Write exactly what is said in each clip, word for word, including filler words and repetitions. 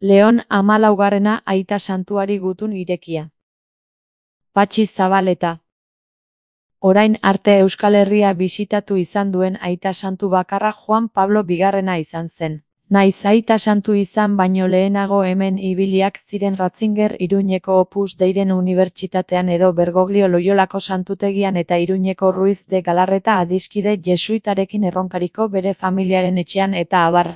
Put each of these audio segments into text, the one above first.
Leon hamalaugarrena aita santuari gutun irekia. Patxi Zabaleta. Orain arte Euskal Herria bisitatu izan duen aita santu bakarra Juan Pablo bigarrena izan zen. Naiz aita santu izan baino lehenago hemen ibiliak ziren Ratzinger Iruñeko Opus Deiren Unibertsitatean edo Bergoglio Loiolako santutegian eta Iruñeko Ruiz de Galarreta adiskide jesuitarekin erronkariko bere familiaren etxean eta abar.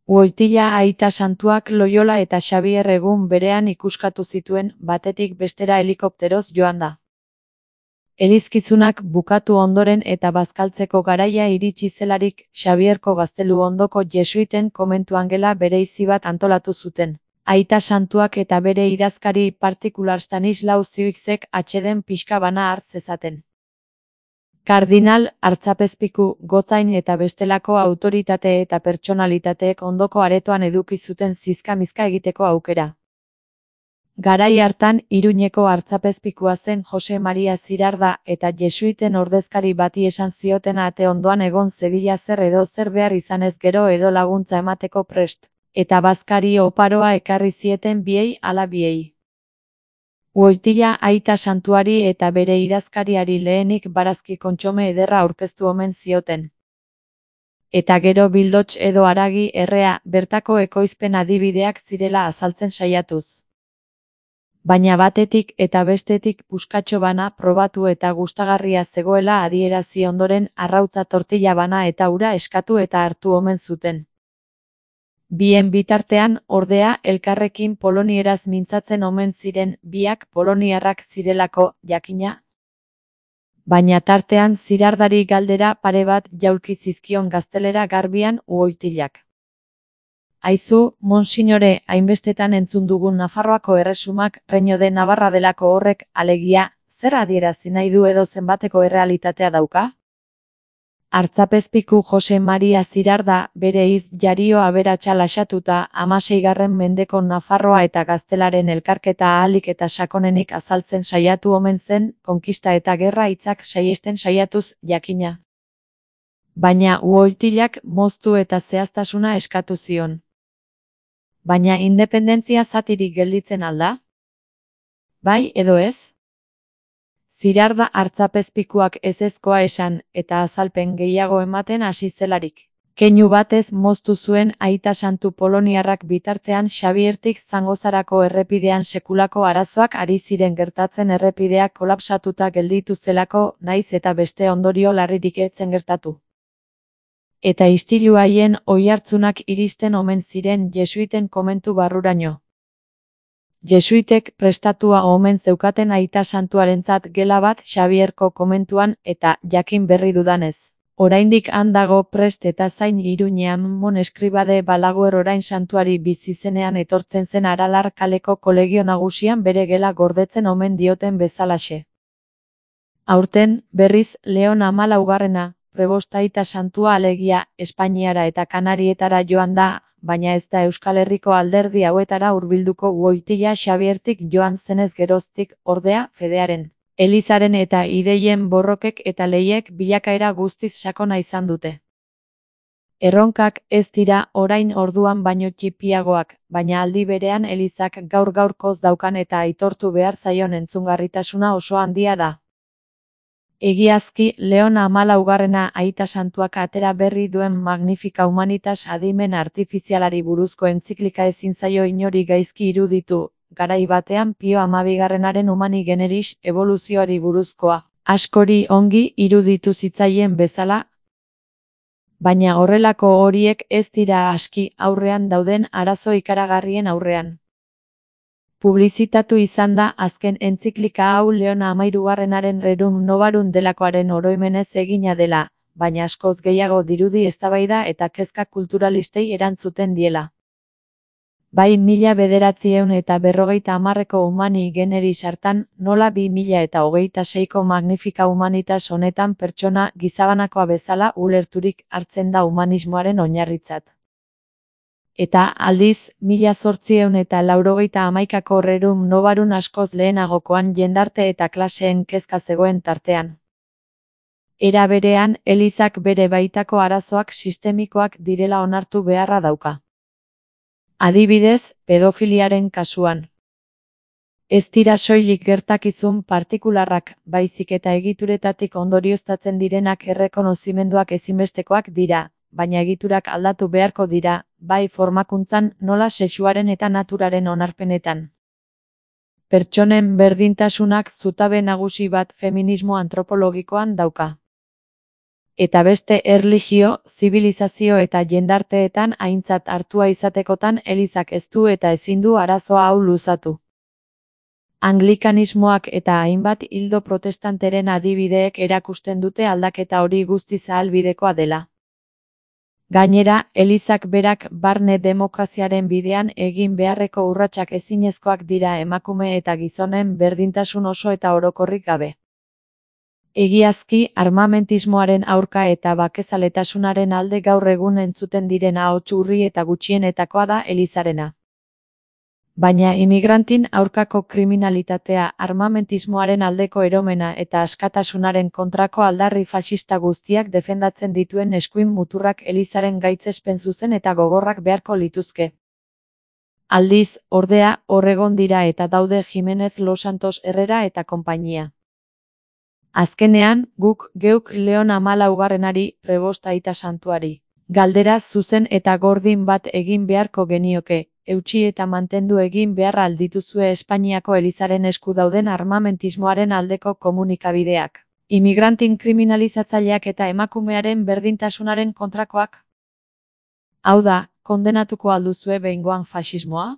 Goitila aita santuak Loiola eta Xabier egun berean ikuskatu zituen, batetik bestera helikopteroz joan da. Elizkizunak bukatu ondoren eta bazkaltzeko garaia iritsi zelarik, Xabierko Gaztelu ondoko jesuiten komentuan gela bereizi bat antolatu zuten. Aita santuak eta bere idazkari partikular Stanislau Ziuixek atxeden pixka bana hart zezaten. Kardinal, artzapezpiku, gotzain eta bestelako autoritate eta pertsonalitateek ondoko aretoan eduki zuten zizka-mizka egiteko aukera. Garai hartan, Iruñeko artzapezpikua zen Jose Maria Zirarda eta jesuiten ordezkari bati esan zioten ate ondoan egon zedila zer edo zer behar izanez gero edo laguntza emateko prest, eta bazkari oparoa ekarri zieten biei ala biei. Goitila aita santuari eta bere idazkariari lehenik barazki kontxome ederra aurkeztu omen zioten. Eta gero bildots edo haragi errea, bertako ekoizpen adibideak zirela azaltzen saiatuz. Baina batetik eta bestetik puskatxo bana probatu eta gustagarria zegoela adierazi ondoren arrautza tortilla bana eta ura eskatu eta hartu omen zuten. Bien bitartean, ordea, elkarrekin polonieraz mintzatzen omen ziren, biak poloniarrak zirelako, jakina. Baina tartean Zirardari galdera pare bat jaulki zizkion gaztelera garbian Goitilak. Aizu, monsignore, hainbestetan entzun dugun Nafarroako erresumak, Reino de Navarra delako horrek, alegia, zer adierazi nahi du edo zenbateko errealitatea dauka? Artzapezpiku Jose Maria Zirarda, bere iz jario aberatsa lasatuta, hamaseigarren mendeko Nafarroa eta gaztelaren elkarketa ahalik eta sakonenik azaltzen saiatu omen zen, konkista eta gerra hitzak saihesten saiatuz, jakina. Baina Goitilak moztu eta zehaztasuna eskatu zion. Baina independentzia zatirik gelditzen alda? Bai edo ez? Zirarda artzapezpikuak ezezkoa esan, eta azalpen gehiago ematen hasi zelarik. Keinu batez moztu zuen aita santu poloniarrak bitartean Xabiertik Zangozarako errepidean sekulako arazoak ari ziren gertatzen errepideak kolapsatuta gelditu zelako, naiz eta beste ondorio larririk ez zen gertatu. Eta istilu haien oihartzunak iristen omen ziren jesuiten komentu barruraino. Jesuitek prestatua omen zeukaten aita santuarentzat gela bat Xabierko komentuan eta jakin berri dudanez. Oraindik han dago prest eta zain Iruñean Mon Eskribade Balaguer orain santuari bizizenean etortzen zen Aralar kaleko kolegio nagusian bere gela gordetzen omen dioten bezalaxe. Aurten, berriz, Leon hamalaugarrena, prebost aita santua alegia, Espainiara eta Kanarietara joan da, baina ez da Euskal Herriko alderdi hauetara hurbilduko Goitila Xabiertik joan zenez geroztik, ordea, fedearen, elizaren eta ideien borrokek eta lehiek bilakaera guztiz sakona izan dute. Erronkak ez dira orain orduan baino txipiagoak, baina aldi berean elizak gaur gaurkoz daukan eta aitortu behar zaion entzungarritasuna oso handia da. Egiazki, Leon hamalaugarrena aita santuak atera berri duen Magnifica Humanitas adimen artifizialari buruzko entziklika ezin zaio inori gaizki iruditu, garai batean Pio hamabigarrenaren Humani Generis eboluzioari buruzkoa, askori ongi iruditu zitzaien bezala. Baina horrelako horiek ez dira aski aurrean dauden arazo ikaragarrien aurrean. Publizitatu izan da azken entziklika hau Leon hamahirugarrenaren Rerum Novarum delakoaren oroimenez egina dela, baina askoz gehiago dirudi eztabaida eta kezka kulturalistei erantzuten diela. Bai mila bederatziehun eta berrogeita hamarreko Humani Generis hartan, nola bi mila eta hogeita seiko Magnifica Humanitas honetan pertsona gizabanakoa bezala ulerturik hartzen da humanismoaren oinarritzat. Eta aldiz, mila zortziehun eta laurogeita hamaikako Rerum Novarum askoz lehenagokoan jendarte eta klaseen kezka zegoen tartean. Era berean, elizak bere baitako arazoak sistemikoak direla onartu beharra dauka. Adibidez, pedofiliaren kasuan. Ez dira soilik gertakizun partikularrak, baizik eta egituretatik ondorioztatzen direnak errekonozimenduak ezinbestekoak dira, baina egiturak aldatu beharko dira, bai formakuntzan nola sexuaren eta naturaren onarpenetan. Pertsonen berdintasunak zutabe nagusi bat feminismo antropologikoan dauka. Eta beste erlijio, zibilizazio eta jendarteetan aintzat hartua izatekotan elizak ez du eta ezin du arazoa hau luzatu. Anglikanismoak eta hainbat ildo protestanteren adibideek erakusten dute aldaketa hori guztiz ahalbidekoa dela. Gainera, elizak berak barne demokraziaren bidean egin beharreko urratsak ezinezkoak dira emakume eta gizonen berdintasun oso eta orokorrik gabe. Egiazki, armamentismoaren aurka eta bakezaletasunaren alde gaur egun entzuten diren ahots urri eta gutxienetakoa da elizarena. Baina imigrantin aurkako kriminalitatea, armamentismoaren aldeko eromena eta askatasunaren kontrako aldarri faxista guztiak defendatzen dituen eskuin muturrak elizaren gaitzespen zuzen eta gogorrak beharko lituzke. Aldiz, ordea, hor egon dira eta daude Jimenez Los Santos Herrera eta konpainia. Azkenean, guk geuk Leon hamalaugarrenari, prebost aita santuari, galdera zuzen eta gordin bat egin beharko genioke, eutsi eta mantendu egin beharra aldituzue Espainiako elizaren esku dauden armamentismoaren aldeko komunikabideak, imigrantin kriminalizatzaileak eta emakumearen berdintasunaren kontrakoak? Hau da, kondenatuko alduzue behingoan faxismoa?